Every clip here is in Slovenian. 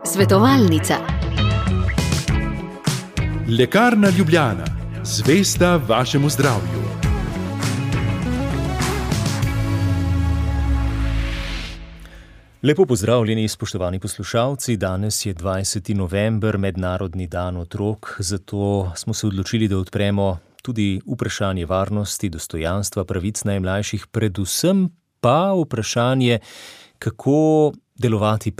Svetovalnica. Lekarna Ljubljana, zvesta vašemu zdravju. Lepo pozdravljeni, spoštovani poslušalci. Danes je 20. november, mednarodni dan otrok, zato smo se odločili, da odpremo tudi vprašanje varnosti, dostojanstva, pravic najmlajših, predvsem pa vprašanje, kako delovati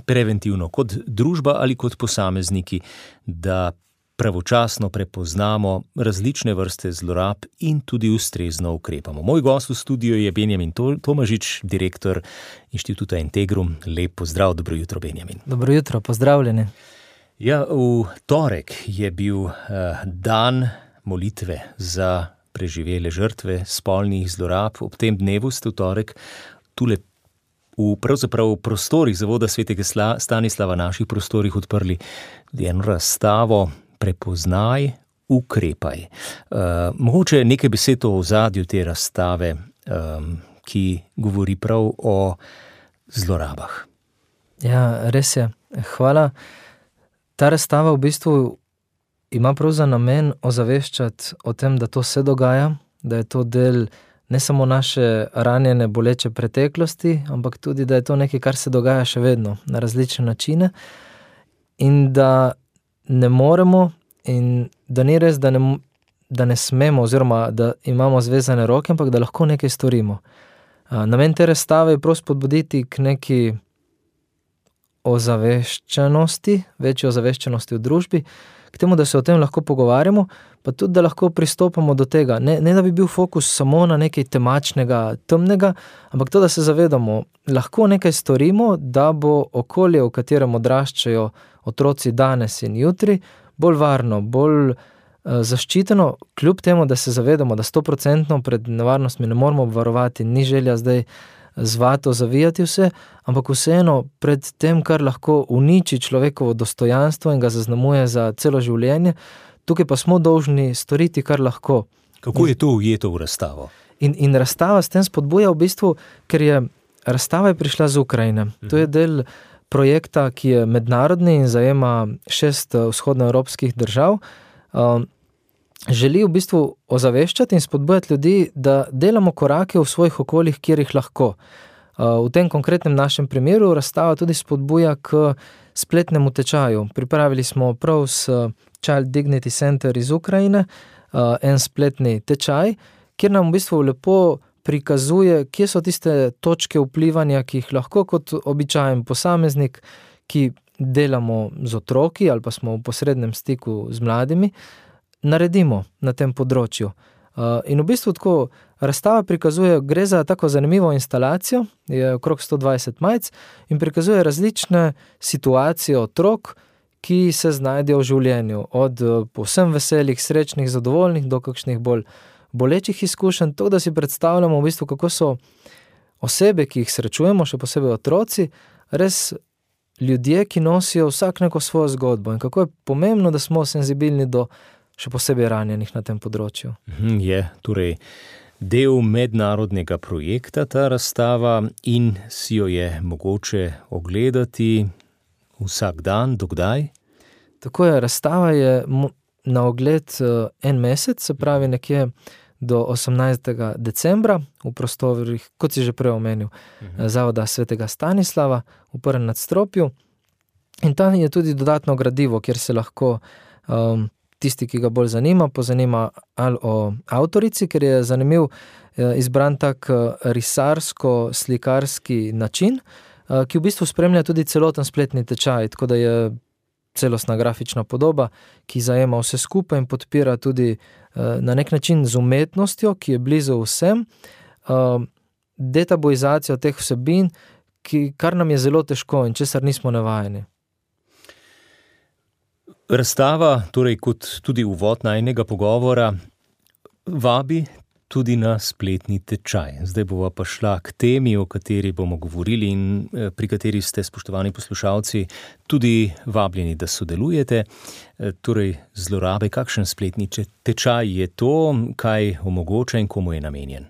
preventivno kot družba ali kot posamezniki, da pravočasno prepoznamo različne vrste zlorab in tudi ustrezno ukrepamo. Moj gost v studiu je Benjamin Tomažič, direktor Inštituta Integrum. Lep pozdrav, dobro jutro, Benjamin. Dobro jutro, pozdravljeni. Ja, v torek je bil dan molitve za preživele žrtve spolnih zlorab. Ob tem dnevu ste v torek tule v pravzaprav prostorih Zavoda svetega Stanislava, naših prostorih, odprli eno razstavo Prepoznaj, ukrepaj. Mogoče nekaj besed o ozadju te razstave, ki govori prav o zlorabah. Ja, res je. Hvala. Ta razstava v bistvu ima prav za namen ozaveščati o tem, da to se dogaja, da je to del ne samo naše ranjene, boleče preteklosti, ampak tudi, da je to nekaj, kar se dogaja še vedno na različne načine in da ne moremo in da ni res, da ne smemo oziroma da imamo zvezane roke, ampak da lahko nekaj storimo. Namen te razstave je prav spodbuditi k neki ozaveščenosti, večji ozaveščenosti v družbi, k temu, da se o tem lahko pogovarjamo, pa tudi, da lahko pristopamo do tega. Ne da bi bil fokus samo na nekaj temačnega, temnega, ampak to, da se zavedamo, lahko nekaj storimo, da bo okolje, v katerem odraščajo otroci danes in jutri, bolj varno, bolj zaščiteno, kljub temu, da se zavedamo, da 100% pred nevarnostmi ne moramo obvarovati, ni želja zdaj z vato zavijati vse, ampak vseeno pred tem, kar lahko uniči človekovo dostojanstvo in ga zaznamuje za celo življenje, tukaj pa smo dolžni storiti, kar lahko. Kako je to ujeto v razstavo? In razstava s tem spodbuja v bistvu, ker je razstava je prišla z Ukrajine. To je del projekta, ki je mednarodni in zajema 6 vzhodnoevropskih držav. Želi v bistvu ozaveščati in spodbujati ljudi, da delamo korake v svojih okoljih, kjer jih lahko. V tem konkretnem našem primeru razstava tudi spodbuja k spletnemu tečaju. Pripravili smo prav s Child Dignity Center iz Ukrajine en spletni tečaj, kjer nam v bistvu lepo prikazuje, kje so tiste točke vplivanja, ki jih lahko kot običajen posameznik, ki delamo z otroki ali pa smo v posrednem stiku z mladimi, naredimo na tem področju. In v bistvu tako razstava prikazuje, gre za tako zanimivo instalacijo, je okrog 120 majic in prikazuje različne situacije otrok, ki se znajdejo v življenju, od povsem veselih, srečnih, zadovoljnih do kakšnih bolj bolečih izkušenj, to, da si predstavljamo v bistvu, kako so osebe, ki jih srečujemo, še posebej otroci, res ljudje, ki nosijo vsak neko svojo zgodbo in kako je pomembno, da smo senzibilni do še posebej ranjenih na tem področju. Je torej del mednarodnega projekta ta razstava in si jo je mogoče ogledati vsak dan, do kdaj? Tako je, razstava je na ogled en mesec, se pravi nekje do 18. decembra v prostorih, kot si že prej omenil, Zavoda svetega Stanislava v prvem nadstropju. In tam je tudi dodatno gradivo, kjer se lahko tisti, ki ga bolj pozanima ali o avtorici, ker je zanimiv izbran tak risarsko-slikarski način, ki v bistvu spremlja tudi celoten spletni tečaj, tako da je celostna grafična podoba, ki zajema vse skupaj in podpira tudi na nek način z umetnostjo, ki je blizu vsem, detabuizacijo teh vsebin, kar nam je zelo težko in česar nismo navajeni. Razstava, torej kot tudi uvod najinega pogovora, vabi tudi na spletni tečaj. Zdaj bova pa šla k temi, o kateri bomo govorili in pri kateri ste, spoštovani poslušalci, tudi vabljeni, da sodelujete. Torej, zlorabe, kakšen spletni tečaj je to, kaj omogoča in komu je namenjen?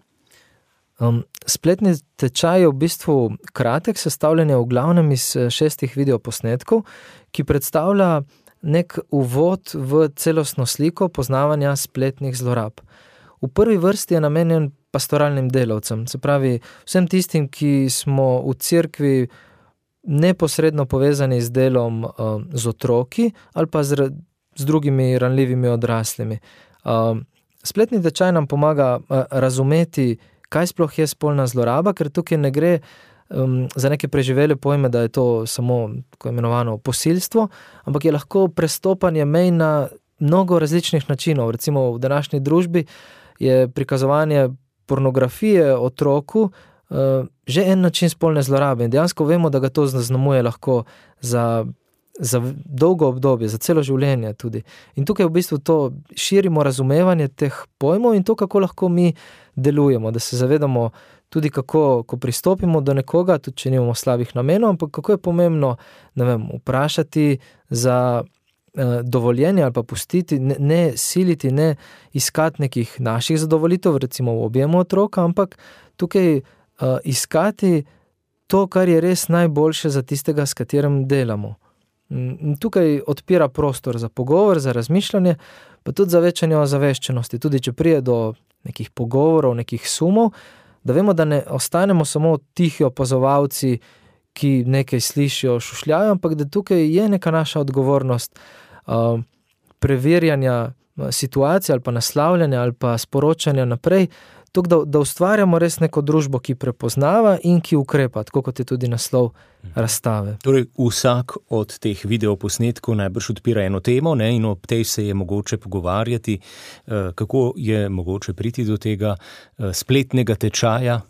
Spletni tečaj je v bistvu kratek, sestavljen je v glavnem iz 6 videoposnetkov, ki predstavlja nek uvod v celostno sliko poznavanja spletnih zlorab. V prvi vrsti je namenjen pastoralnim delavcem, se pravi vsem tistim, ki smo v cerkvi neposredno povezani z delom z otroki ali pa z drugimi ranljivimi odraslimi. Spletni tečaj nam pomaga razumeti, kaj sploh je spolna zloraba, ker tukaj ne gre za neke preživele pojme, da je to samo tako imenovano posilstvo, ampak je lahko prestopanje mej na mnogo različnih načinov. Recimo v današnji družbi je prikazovanje pornografije otroku že en način spolne zlorabe in dejansko vemo, da ga to zaznamuje lahko za dolgo obdobje, za celo življenje tudi. In tukaj v bistvu to širimo razumevanje teh pojmov in to, kako lahko mi delujemo, da se zavedamo tudi kako, ko pristopimo do nekoga, tudi če nimamo slabih namenov, ampak kako je pomembno, ne vem, vprašati za dovoljenje ali pa pustiti, ne siliti, ne iskati nekih naših zadovolitev, recimo v objemu otroka, ampak tukaj iskati to, kar je res najboljše za tistega, s katerim delamo. In tukaj odpira prostor za pogovor, za razmišljanje, pa tudi za večanje ozaveščenosti. Tudi če prije do nekih pogovorov, nekih sumov, da vemo, da ne ostanemo samo tihi opazovalci, ki nekaj slišijo, šušljajo, ampak da tukaj je neka naša odgovornost preverjanja situacije ali pa naslavljanja ali pa sporočanja naprej, tukaj, da ustvarjamo res neko družbo, ki prepoznava in ki ukrepa, tako kot je tudi naslov razstave. Torej, vsak od teh videoposnetkov najbrž odpira eno temo, ne, in ob tej se je mogoče pogovarjati, kako je mogoče priti do tega spletnega tečaja.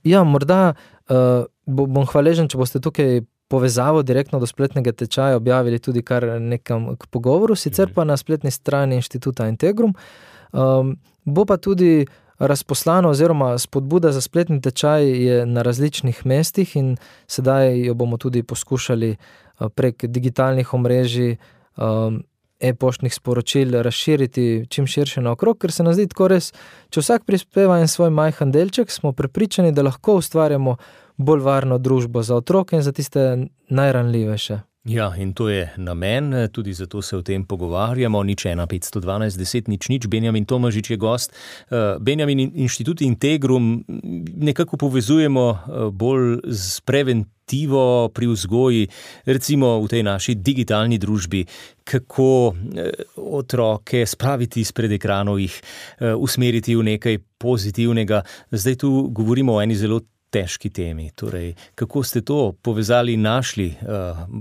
Ja, morda bom hvaležen, če boste tukaj povezavo direktno do spletnega tečaja objavili tudi kar nekam k pogovoru, sicer pa na spletni strani Inštituta Integrum. Bo pa tudi razposlano oziroma spodbuda za spletni tečaj je na različnih mestih in sedaj jo bomo tudi poskušali prek digitalnih omrežij, e-poštnih sporočil razširiti čim širše naokrog, ker se nam zdi tako res, če vsak prispeva en svoj majhen delček, smo prepričani, da lahko ustvarjamo bolj varno družbo za otroke in za tiste najranljivejše. Ja, in to je namen, tudi zato se o tem pogovarjamo. 01512 10 00. Benjamin Tomažič je gost. Benjamin, Inštitut Integrum nekako povezujemo bolj z preventivo pri vzgoji, recimo v tej naši digitalni družbi, kako otroke spraviti izpred ekranov, jih usmeriti v nekaj pozitivnega. Zdaj tu govorimo o eni zelo težki temi. Torej, kako ste to povezali in našli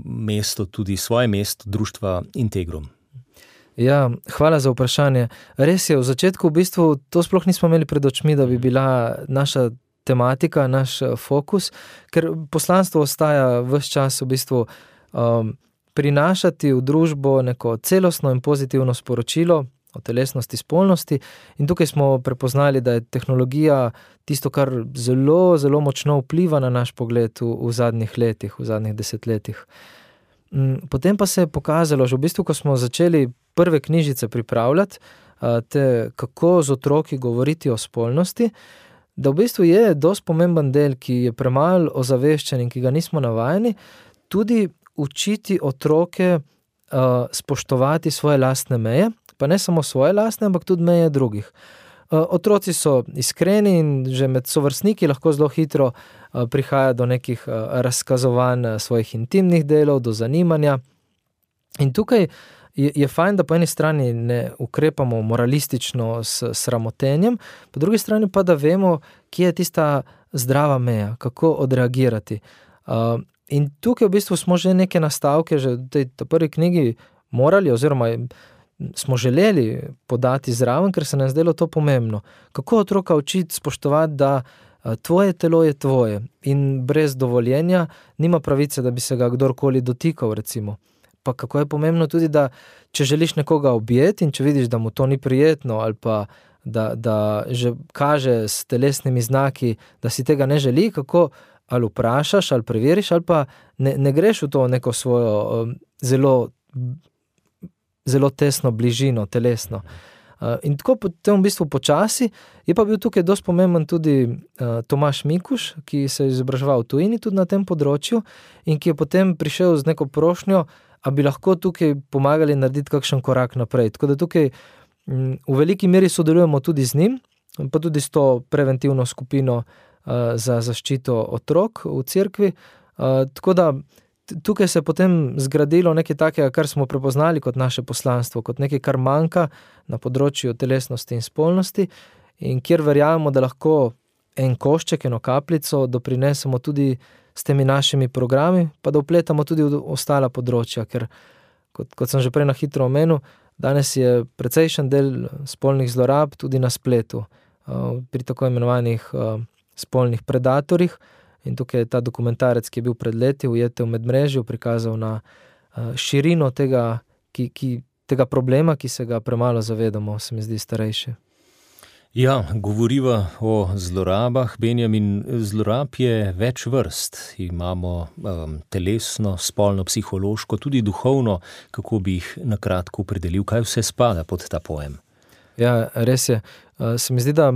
mesto, tudi svoje mesto društva Integrum? Ja, hvala za vprašanje. Res je, v začetku v bistvu to sploh nismo imeli pred očmi, da bi bila naša tematika, naš fokus, ker poslanstvo ostaja ves čas v bistvu prinašati v družbo neko celostno in pozitivno sporočilo o telesnosti, spolnosti in tukaj smo prepoznali, da je tehnologija tisto, kar zelo, zelo močno vpliva na naš pogled v zadnjih letih, v zadnjih desetletjih. Potem pa se je pokazalo, že v bistvu, ko smo začeli prve knjižice pripravljati, kako z otroki govoriti o spolnosti, da v bistvu je dosti pomemben del, ki je premalo ozaveščen in ki ga nismo navajeni, tudi učiti otroke spoštovati svoje lastne meje, pa ne samo svoje lastne, ampak tudi meje drugih. Otroci so iskreni in že med sovrstniki lahko zelo hitro prihaja do nekih razkazovanj svojih intimnih delov, do zanimanja. In tukaj je fajn, da po eni strani ne ukrepamo moralistično s sramotenjem, po drugi strani pa, da vemo, kje je tista zdrava meja, kako odreagirati. In tukaj v bistvu smo že neke nastavke, že v tej prvi knjigi morali oziroma smo želeli podati zraven, ker se nam zdelo to pomembno. Kako otroka učiti spoštovati, da tvoje telo je tvoje in brez dovoljenja nima pravice, da bi se ga kdorkoli dotikal, recimo. Pa kako je pomembno tudi, da če želiš nekoga objeti in če vidiš, da mu to ni prijetno ali pa da že kaže s telesnimi znaki, da si tega ne želi, kako ali vprašaš, ali preveriš, ali pa ne greš v to neko svojo zelo tesno bližino, telesno. In tako potem v bistvu počasi je pa bil tukaj dosti pomemben tudi Tomaž Mikuš, ki se je izobraževal v tujini tudi na tem področju in ki je potem prišel z neko prošnjo, a bi lahko tukaj pomagali narediti kakšen korak naprej. Tako da tukaj v veliki meri sodelujemo tudi z njim, pa tudi s to preventivno skupino za zaščito otrok v cerkvi. Tako da tukaj se je potem zgradilo nekaj takega, kar smo prepoznali kot naše poslanstvo, kot nekaj, kar manjka na področju telesnosti in spolnosti in kjer verjamemo, da lahko en košček, eno kapljico doprinesemo tudi s temi našimi programi, pa da vpletamo tudi v ostala področja, ker kot sem že prej na hitro omenil, danes je precejšen del spolnih zlorab tudi na spletu, pri tako imenovanih spolnih predatorjih. In tukaj je ta dokumentarec, ki je bil pred leti Ujete v medmrežju, prikazal na širino tega problema, ki se ga premalo zavedamo, se mi zdi starejše. Ja, govoriva o zlorabah, Benjamin. Zlorab je več vrst. Imamo telesno, spolno, psihološko, tudi duhovno. Kako bi jih na kratko opredelil? Kaj vse spada pod ta pojem? Ja, res je. Se mi zdi, da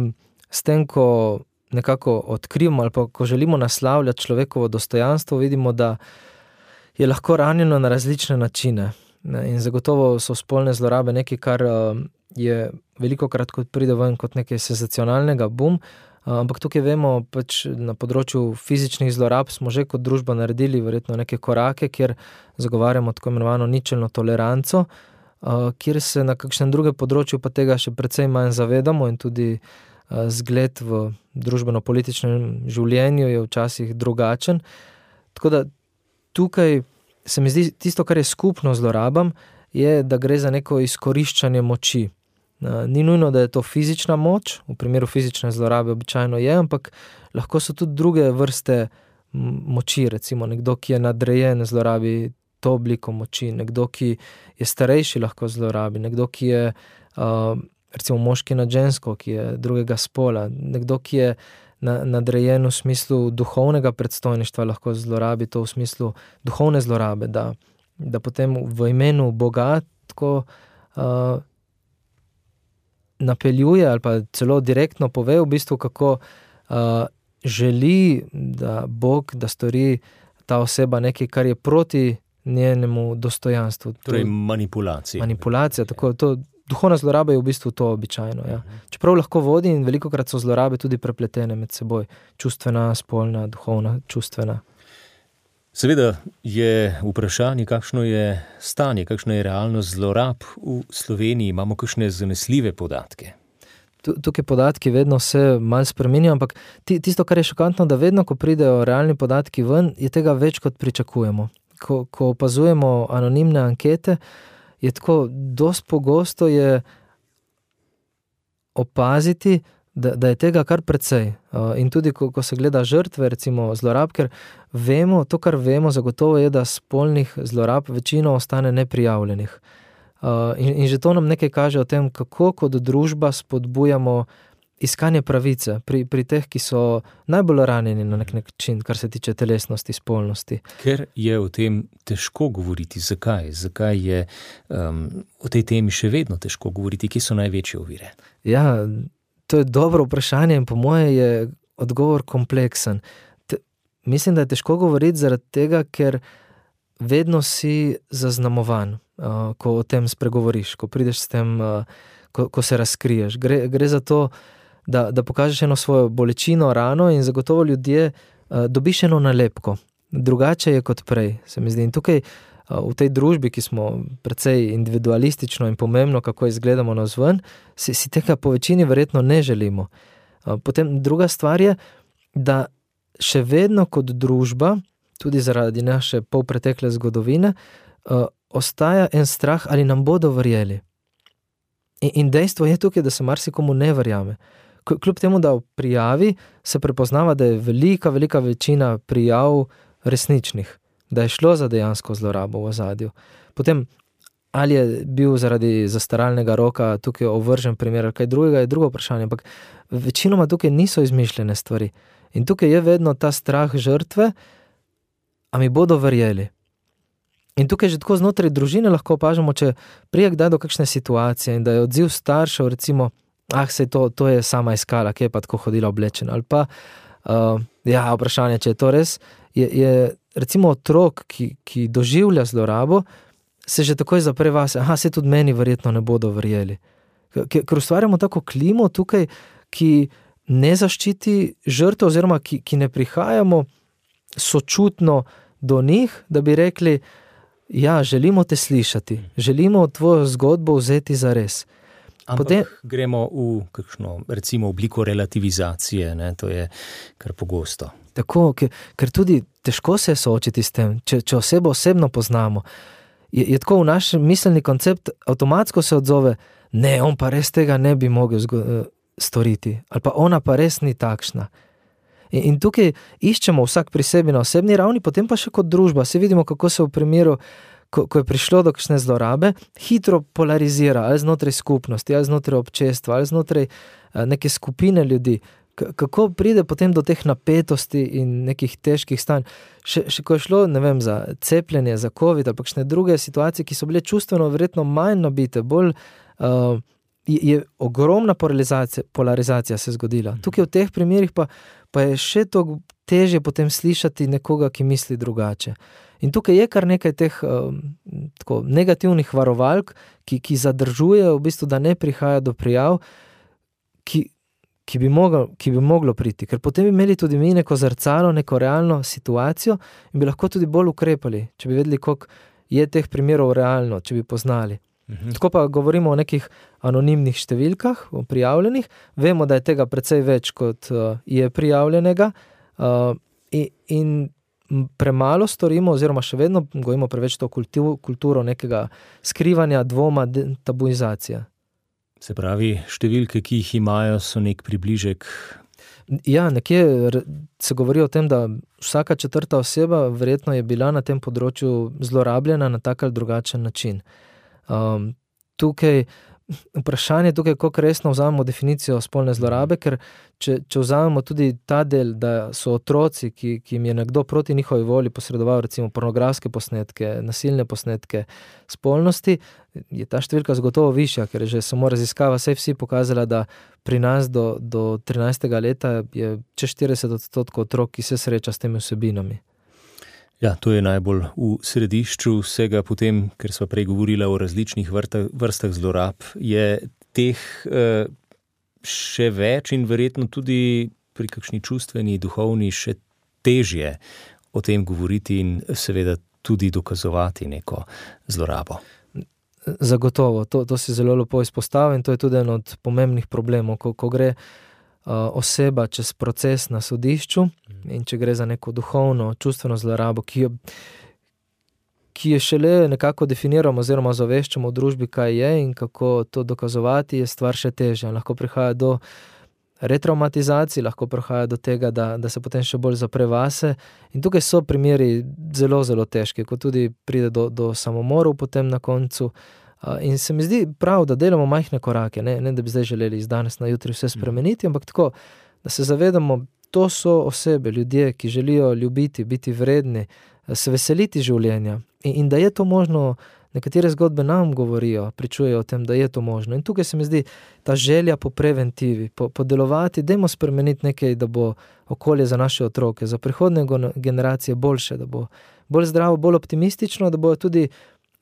s tem, ko nekako odkrivamo ali pa ko želimo naslavljati človekovo dostojanstvo, vidimo, da je lahko ranjeno na različne načine. In zagotovo so spolne zlorabe nekaj, kar je velikokrat kot pride ven kot nekaj senzacionalnega, ampak tukaj vemo, pač na področju fizičnih zlorab smo že kot družba naredili verjetno neke korake, kjer zagovarjamo tako imenovano ničelno toleranco, kjer se na kakšnem drugem področju pa tega še precej manj zavedamo in tudi zgled v družbeno-političnem življenju je včasih drugačen. Tako da tukaj se mi zdi tisto, kar je skupno zlorabam, je, da gre za neko izkoriščanje moči. Ni nujno, da je to fizična moč, v primeru fizične zlorabe običajno je, ampak lahko so tudi druge vrste moči, recimo nekdo, ki je nadrejen, zlorabi to obliko moči, nekdo, ki je starejši, lahko zlorabi, nekdo, ki je recimo moški nad žensko, ki je drugega spola, nekdo, ki je nadrejen v smislu duhovnega predstojništva, lahko zlorabi to v smislu duhovne zlorabe, da potem v imenu Boga tako napeljuje ali pa celo direktno pove v bistvu, kako želi, da Bog, da stori ta oseba nekaj, kar je proti njenemu dostojanstvu. Torej manipulacija. Manipulacija, tako to. Duhovna zloraba je v bistvu to običajno. Ja. Čeprav lahko vodi in velikokrat so zlorabe tudi prepletene med seboj. Čustvena, spolna, duhovna, čustvena. Seveda je vprašanje, kakšno je stanje, kakšna je realnost zlorab v Sloveniji. Imamo kakšne zanesljive podatke? Tukaj podatki vedno se malo spreminjajo, ampak tisto, kar je šokantno, da vedno, ko pridejo realni podatki ven, je tega več, kot pričakujemo. Ko opazujemo anonimne ankete, je tako, dosti pogosto je opaziti, da je tega kar precej. In tudi, ko se gleda žrtve, recimo zlorab, ker vemo, to, kar vemo, zagotovo je, da spolnih zlorab večino ostane neprijavljenih. In že to nam nekaj kaže o tem, kako kot družba spodbujamo iskanje pravice pri teh, ki so najbolj ranjeni na nek način, kar se tiče telesnosti, spolnosti. Ker je o tem težko govoriti. Zakaj? Zakaj je o tej temi še vedno težko govoriti? Kje so največje ovire? Ja, to je dobro vprašanje in po moje je odgovor kompleksen. Mislim, da je težko govoriti zaradi tega, ker vedno si zaznamovan, ko o tem spregovoriš, ko prideš s tem, ko se razkriješ. Gre za to, da pokažeš eno svojo bolečino, rano in zagotovo ljudje dobiš eno nalepko. Drugače je kot prej, se mi zdi. In tukaj v tej družbi, ki smo precej individualistično in pomembno, kako izgledamo navzven, si tega po večini verjetno ne želimo. Potem druga stvar je, da še vedno kot družba, tudi zaradi naše polpretekle zgodovine, ostaja en strah, ali nam bodo verjeli. In dejstvo je tukaj, da se marsikomu ne verjame. Kljub temu, da v prijavi se prepoznava, da je velika večina prijav resničnih, da je šlo za dejansko zlorabo v ozadju. Potem, ali je bil zaradi zastaralnega roka tukaj ovržen primer ali kaj drugega, je drugo vprašanje, ampak večinoma tukaj niso izmišljene stvari. In tukaj je vedno ta strah žrtve, a mi bodo verjeli. In tukaj že tako znotraj družine lahko opažamo, če prije kdaj do kakšne situacije in da je odziv staršev, recimo, sej to je sama iskala, kje je pa tako hodila oblečena, ali pa, vprašanje, če je to res, je recimo otrok, ki doživlja zlorabo, se že takoj zapre vase, se tudi meni verjetno ne bodo verjeli. Ker ustvarjamo tako klimo tukaj, ki ne zaščiti žrtev, oziroma ki ne prihajamo sočutno do njih, da bi rekli, želimo te slišati, želimo tvojo zgodbo vzeti za res. Ampak gremo v kakšno, recimo, obliko relativizacije, ne? To je kar pogosto. Tako, ker tudi težko se soočiti s tem, če osebo osebno poznamo, je tako v naš miselni koncept avtomatsko se odzove, ne, on pa res tega ne bi mogel storiti, ali pa ona pa res ni takšna. In tukaj iščemo vsak pri sebi na osebni ravni, potem pa še kot družba. Se vidimo, kako se v primeru, ko je prišlo do kakšne zlorabe, hitro polarizira, ali znotraj skupnosti, ali znotraj občestva, ali znotraj neke skupine ljudi. Kako pride potem do teh napetosti in nekih težkih stanj. Še ko je šlo, ne vem, za cepljenje, za COVID, ali pa kakšne druge situacije, ki so bile čustveno verjetno manj nabite, bolj je ogromna polarizacija se zgodila. Tukaj v teh primerih pa je še to težje potem slišati nekoga, ki misli drugače. In tukaj je kar nekaj teh tako negativnih varovalk, ki zadržujejo v bistvu, da ne prihaja do prijav, ki bi moglo priti. Ker potem bi imeli tudi mi neko zrcalo, neko realno situacijo in bi lahko tudi bolj ukrepali, če bi vedeli, koliko je teh primerov realno, če bi poznali. Tako pa govorimo o nekih anonimnih številkah, o prijavljenih. Vemo, da je tega precej več, kot je prijavljenega, in premalo storimo, oziroma še vedno gojimo preveč to kulturo nekega skrivanja, dvoma, tabuizacije. Se pravi, številke, ki jih imajo, so nek približek. Nekje se govori o tem, da vsaka 4. oseba verjetno je bila na tem področju zlorabljena na tak ali drugačen način. Tukaj vprašanje, koliko resno vzamemo definicijo spolne zlorabe, ker če vzamemo tudi ta del, da so otroci, ki jim je nekdo proti njihovi volji posredoval recimo pornografske posnetke, nasilne posnetke spolnosti, je ta številka zagotovo višja, ker je že samo raziskava vsi pokazala, da pri nas do 13. leta je čez 40% otrok, ki se sreča s temi vsebinami. Ja, to je najbolj v središču vsega, potem, ker sva prej govorila o različnih vrstah zlorab, je teh še več in verjetno tudi pri kakšni čustveni, duhovni še težje o tem govoriti in seveda tudi dokazovati neko zlorabo. Zagotovo, to si zelo lepo izpostavil in to je tudi en od pomembnih problemov, ko gre oseba čez proces na sodišču in če gre za neko duhovno, čustveno zlorabo, ki je šele nekako definiramo oziroma zaveščamo v družbi, kaj je in kako to dokazovati, je stvar še težja. Lahko prihaja do retraumatizacij, lahko prihaja do tega, da se potem še bolj zapre vase in tukaj so primeri zelo, zelo težki, ko tudi pride do samomorov potem na koncu. In se mi zdi prav, da delamo majhne korake, ne da bi zdaj želeli iz danes na jutri vse spremeniti, ampak tako, da se zavedamo, to so osebe, ljudje, ki želijo ljubiti, biti vredni, se veseliti življenja in da je to možno. Nekatere zgodbe nam govorijo, pričujejo o tem, da je to možno. In tukaj se mi zdi ta želja po preventivi, po delovati, dajmo spremeniti nekaj, da bo okolje za naše otroke, za prihodne generacije boljše, da bo bolj zdravo, bolj optimistično, da bojo tudi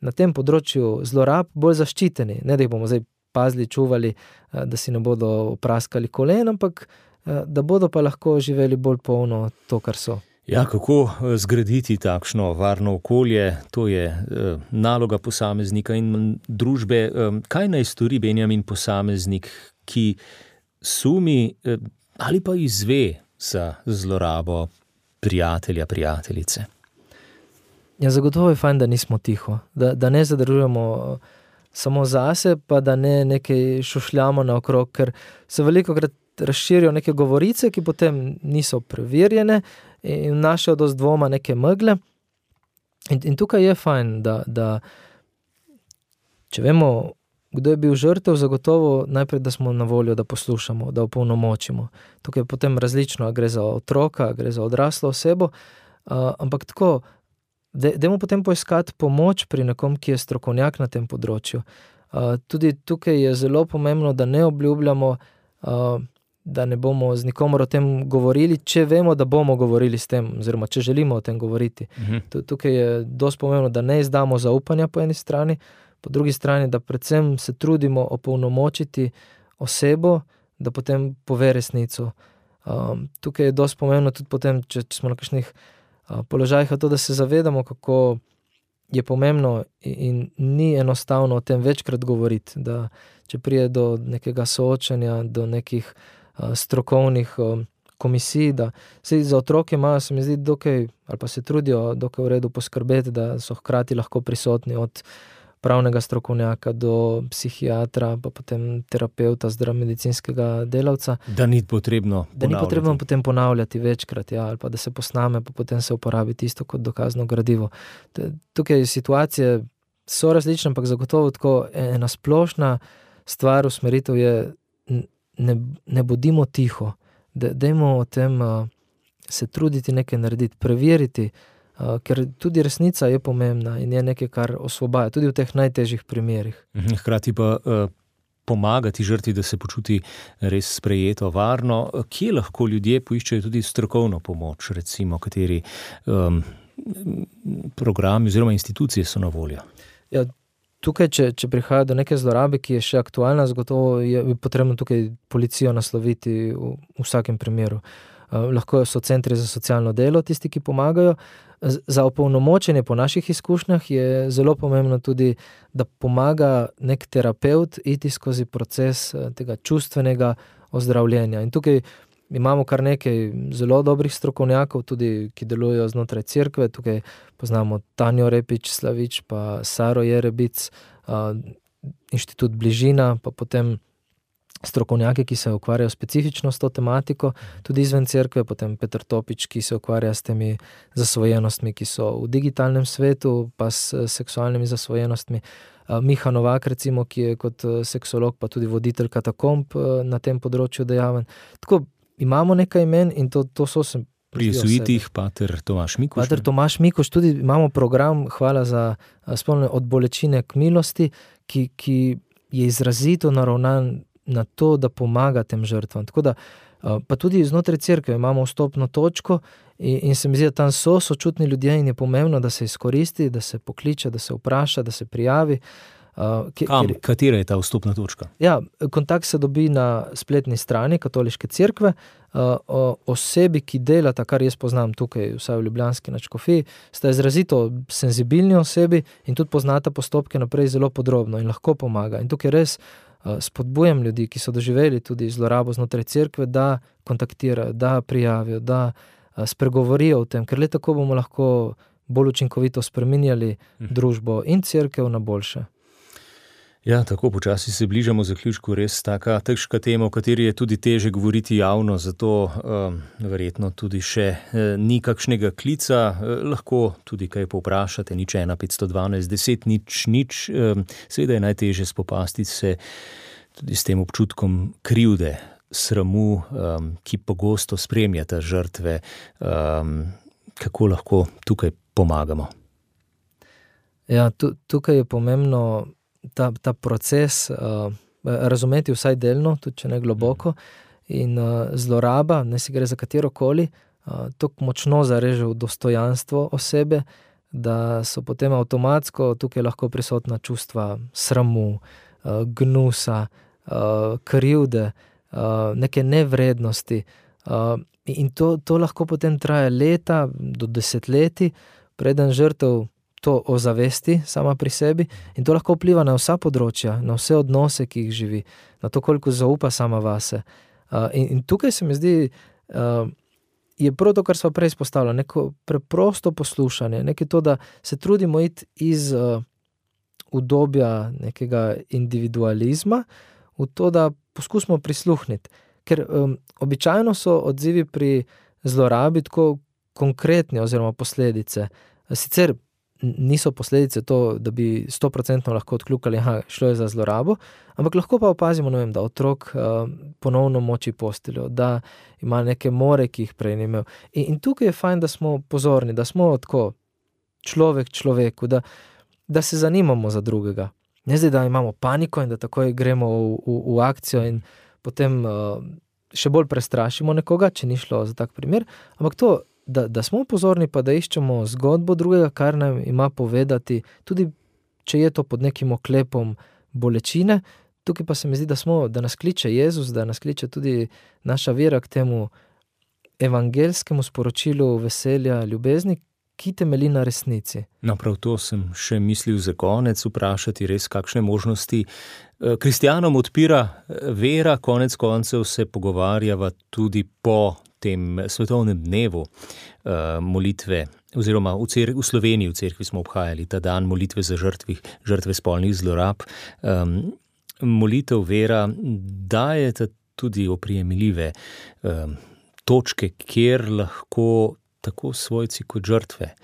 na tem področju zlorab bolj zaščiteni. Ne, da jih bomo zdaj pazili, čuvali, da si ne bodo opraskali kolen, ampak da bodo pa lahko živeli bolj polno to, kar so. Ja, kako zgraditi takšno varno okolje, to je naloga posameznika in družbe. Kaj naj stori Benjamin posameznik, ki sumi ali pa izve za zlorabo prijatelja, prijateljice? Ja, zagotovo je fajn, da nismo tiho, da ne zadržujemo samo zase, pa da ne nekaj šušljamo naokrog, ker se velikokrat razširijo neke govorice, ki potem niso preverjene in vnašajo dosti dvoma, neke megle. In tukaj je fajn, da če vemo, kdo je bil žrtev, zagotovo najprej, da smo na voljo, da poslušamo, da opolnomočimo. Tukaj je potem različno, gre za otroka, gre za odraslo osebo, ampak tako, dajmo potem poiskati pomoč pri nekom, ki je strokovnjak na tem področju. Tudi tukaj je zelo pomembno, da ne obljubljamo, da ne bomo z nikomer o tem govorili, če vemo, da bomo govorili s tem, oziroma če želimo o tem govoriti. Tukaj je dosti pomembno, da ne izdamo zaupanja po eni strani, po drugi strani, da predvsem se trudimo opolnomočiti osebo, da potem pove resnico. Tukaj je dosti pomembno tudi potem, če smo na kakšnih položajih, to, da se zavedamo, kako je pomembno in ni enostavno o tem večkrat govoriti, da če prije do nekega soočanja, do nekih strokovnih komisij, da se za otroke imajo, se mi zdi, dokaj, ali pa se trudijo dokaj v redu poskrbeti, da so hkrati lahko prisotni od pravnega strokovnjaka do psihiatra, pa potem terapeuta, medicinskega delavca. Da ni potrebno ponavljati. Da ni potrebno potem ponavljati večkrat, ali pa da se posname, pa potem se uporabi tisto kot dokazno gradivo. Tukaj situacije so različne, ampak zagotovo tako ena splošna stvar, usmeritev je, ne bodimo tiho, dajmo o tem se truditi nekaj narediti, preveriti, ker tudi resnica je pomembna in je nekaj, kar osvobaja, tudi v teh najtežjih primerih. Hkrati pa pomagati žrtvi, da se počuti res sprejeto, varno. Kje lahko ljudje poiščejo tudi strokovno pomoč, recimo, kateri programi oziroma institucije so na voljo? Ja, tukaj, če prihaja do neke zlorabe, ki je še aktualna, zagotovo je potrebno tukaj policijo nasloviti v vsakem primeru. Lahko so centri za socialno delo tisti, ki pomagajo. Za opolnomočenje po naših izkušnjah je zelo pomembno tudi, da pomaga nek terapeut iti skozi proces tega čustvenega ozdravljenja. In tukaj imamo kar nekaj zelo dobrih strokovnjakov, tudi ki delujejo znotraj cerkve. Tukaj poznamo Tanjo Repič-Slavič, pa Saro Jerebic, Inštitut Bližina, pa potem strokovnjaki, ki se ukvarjajo specifično s to tematiko, tudi izven cerkve, potem Peter Topič, ki se ukvarja s temi zasvojenostmi, ki so v digitalnem svetu, pa s seksualnimi zasvojenostmi. Miha Novak, recimo, ki je kot seksolog, pa tudi voditelj katakomb na tem področju dejaven. Tako, imamo nekaj imen in to so se... Pri jezuitih pater Tomaž Mikuš. Pater Tomaž Mikuš, tudi imamo program, hvala za spomnjenje, od bolečine k milosti, ki je izrazito naravnan na to, da pomaga tem žrtvam. Tako da, pa tudi znotraj cerkve imamo vstopno točko in se mi zdi, da tam so sočutni ljudje in je pomembno, da se izkoristi, da se pokliče, da se vpraša, da se prijavi. Katera je ta vstopna točka? Ja, kontakt se dobi na spletni strani Katoliške cerkve. Osebi, ki delata, kar jaz poznam tukaj, vsaj v ljubljanski nadškofiji, sta izrazito senzibilni osebi in tudi poznata postopke naprej zelo podrobno in lahko pomaga. In tukaj res spodbujam ljudi, ki so doživeli tudi zlorabo znotraj cerkve, da kontaktirajo, da prijavijo, da spregovorijo o tem, ker le tako bomo lahko bolj učinkovito spreminjali družbo in cerkev na boljše. Ja, tako počasi se bližamo zaključku, res taka težka tema, o kateri je tudi teže govoriti javno, zato verjetno tudi še ni kakšnega klica, lahko tudi kaj povprašate, 01 512 10 0 0, seveda je najteže spopasti se tudi s tem občutkom krivde, sramu, ki pogosto spremljata žrtve, kako lahko tukaj pomagamo? Ja, tukaj je pomembno ta proces razumeti vsaj delno, tudi če ne globoko, in zloraba, ne si gre za katerokoli, tako močno zareže v dostojanstvo osebe, da so potem avtomatsko tukaj lahko prisotna čustva sramu, gnusa, krivde, neke nevrednosti. In to lahko potem traja leta do desetletij, preden žrtev to ozavesti sama pri sebi in to lahko vpliva na vsa področja, na vse odnose, ki jih živi, na to, koliko zaupa sama vase. In tukaj se mi zdi, je prav to, kar sva prej izpostavila, neko preprosto poslušanje, nekaj to, da se trudimo iti iz udobja nekega individualizma v to, da poskusimo prisluhniti. Ker običajno so odzivi pri zlorabi tako konkretni oziroma posledice. Sicer niso posledice to, da bi 100% lahko odkljukali, šlo je za zlorabo, ampak lahko pa opazimo, da otrok ponovno moči posteljo, da ima neke more, ki jih prej ni imel. In tukaj je fajn, da smo pozorni, da smo tako človek človeku, da se zanimamo za drugega. Ne zdaj, da imamo paniko in da takoj gremo v akcijo in potem še bolj prestrašimo nekoga, če ni šlo za tak primer, ampak to, da smo pozorni pa da iščemo zgodbo drugega, kar nam ima povedati, tudi če je to pod nekim oklepom bolečine. Tukaj pa se mi zdi, da nas kliče Jezus, da nas kliče tudi naša vera k temu evangelskemu sporočilu veselja, ljubezni, ki temelji na resnici. No, prav to sem še mislil za konec vprašati, res kakšne možnosti kristjanom odpira vera, konec koncev se pogovarjava tudi po tem svetovnem dnevu molitve, oziroma v Sloveniji v cerkvi smo obhajali ta dan molitve za žrtve spolnih zlorab. Molitev vera dajeta tudi oprijemljive točke, kjer lahko tako svojci kot žrtve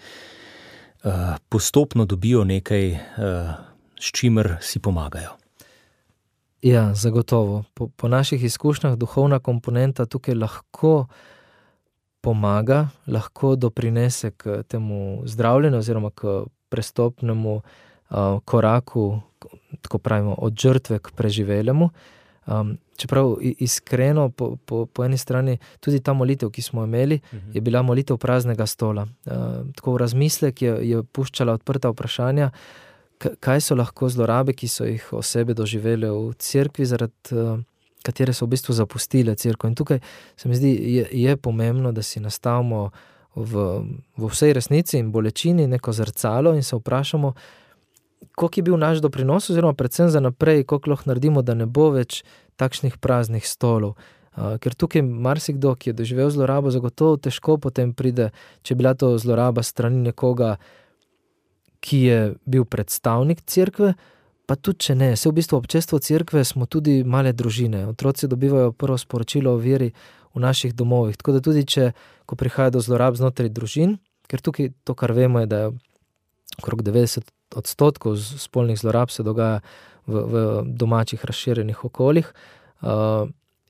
postopno dobijo nekaj, s čimer si pomagajo. Ja, zagotovo. Po naših izkušnjah duhovna komponenta tukaj lahko pomaga, lahko doprinese k temu zdravljenju oziroma k prestopnemu koraku, tako pravimo, od žrtve k preživelemu. Čeprav iskreno, po eni strani, tudi ta molitev, ki smo imeli, je bila molitev praznega stola. Tako v razmislek je puščala odprta vprašanja, kaj so lahko zlorabe, ki so jih osebe doživele v cerkvi, zaradi katere so v bistvu zapustile cerkev. In tukaj se mi zdi, je pomembno, da si nastavimo v vsej resnici in bolečini neko zrcalo in se vprašamo, koliko je bil naš doprinos, oziroma predvsem za naprej, koliko lahko naredimo, da ne bo več takšnih praznih stolov. Ker tukaj marsikdo, ki je doživel zlorabo, zagotovo težko potem pride, če je bila to zloraba strani nekoga, ki je bil predstavnik cerkve, pa tudi če ne. Se v bistvu občestvo cerkve smo tudi male družine. Otroci dobivajo prvo sporočilo o veri v naših domovih. Tako da tudi če, ko prihaja do zlorab znotraj družin, ker tukaj to, kar vemo, je, da je okrog 90% spolnih zlorab se dogaja v domačih razširjenih okoljih.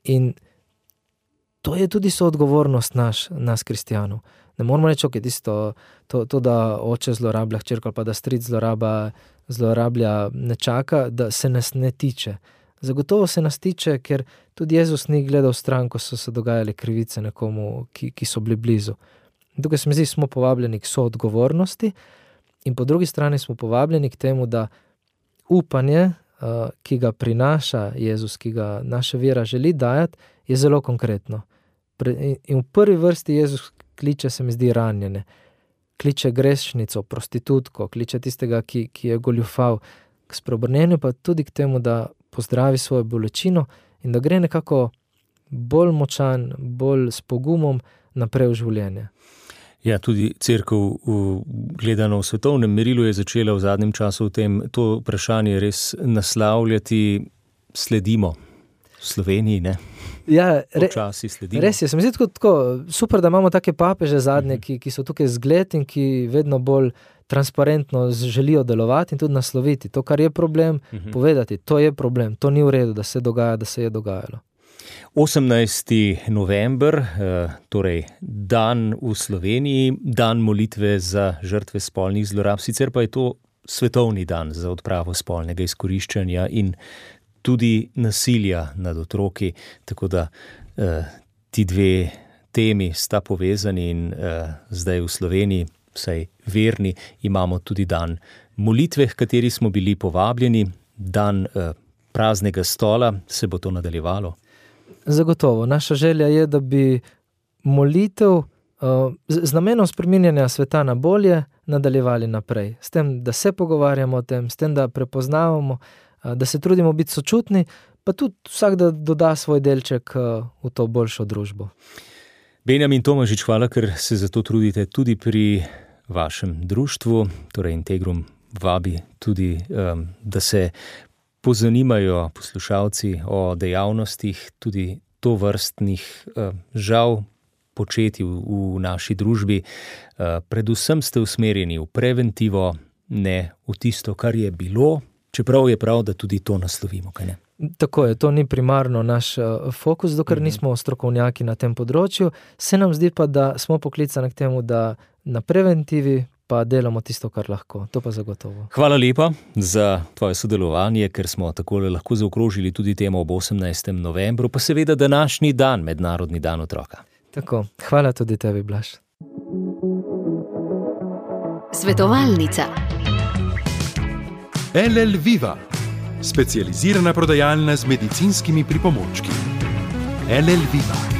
In to je tudi soodgovornost nas kristjanov. Ne moramo reči, ok, to, da oče zlorablja hčerko, pa da stric zlorablja nečaka, da se nas ne tiče. Zagotovo se nas tiče, ker tudi Jezus ni gledal stran, ko so se dogajale krivice nekomu, ki so bili blizu. In tukaj se mi zdi, smo povabljeni k soodgovornosti in po drugi strani smo povabljeni k temu, da upanje, ki ga prinaša Jezus, ki ga naša vera želi dajati, je zelo konkretno. In v prvi vrsti Jezus kliče, se mi zdi, ranjene. Kliče grešnico, prostitutko, kliče tistega, ki je goljufal, k spreobrnenju, pa tudi k temu, da pozdravi svojo bolečino in da gre nekako bolj močan, bolj s pogumom naprej v življenje. Ja, tudi cerkev gledano v svetovnem merilu je začela v zadnjem času to vprašanje res naslavljati, sledimo. V Sloveniji, ne? Ja, počasi sledimo. Res je, se mi zdi tako super, da imamo take papeže zadnje, ki so tukaj zgled in ki vedno bolj transparentno želijo delovati in tudi nasloviti to, kar je problem, povedati, to je problem, to ni v redu, da se dogaja, da se je dogajalo. 18. november, torej dan v Sloveniji, dan molitve za žrtve spolnih zlorab, sicer pa je to svetovni dan za odpravo spolnega izkoriščanja in tudi nasilja nad otroki, tako da ti dve temi sta povezani in zdaj v Sloveniji, vsaj verni, imamo tudi dan molitve, h kateri smo bili povabljeni, dan praznega stola. Se bo to nadaljevalo? Zagotovo. Naša želja je, da bi molitev z namenom spreminjanja sveta na bolje nadaljevali naprej. S tem, da se pogovarjamo o tem, s tem, da prepoznavamo, da se trudimo biti sočutni, pa tudi vsak, da doda svoj delček v to boljšo družbo. Benjamin Tomažič, hvala, ker se za to trudite tudi pri vašem društvu, torej Integrum vabi tudi, da se pozanimajo poslušalci o dejavnostih, tudi tovrstnih žal početij v naši družbi. Predvsem ste usmerjeni v preventivo, ne v tisto, kar je bilo, čeprav je prav, da tudi to naslovimo, kaj ne? Tako je, to ni primarno naš fokus, dokler nismo strokovnjaki na tem področju. Se nam zdi pa, da smo poklicani k temu, da na preventivi pa delamo tisto, kar lahko. To pa zagotovo. Hvala lepa za tvoje sodelovanje, ker smo takole lahko zaokrožili tudi temo ob 18. novembru, pa seveda današnji dan, Mednarodni dan otroka. Tako, hvala tudi tebi, Blaž. Svetovalnica. LL Viva, specializirana prodajalna z medicinskimi pripomočki. LL Viva.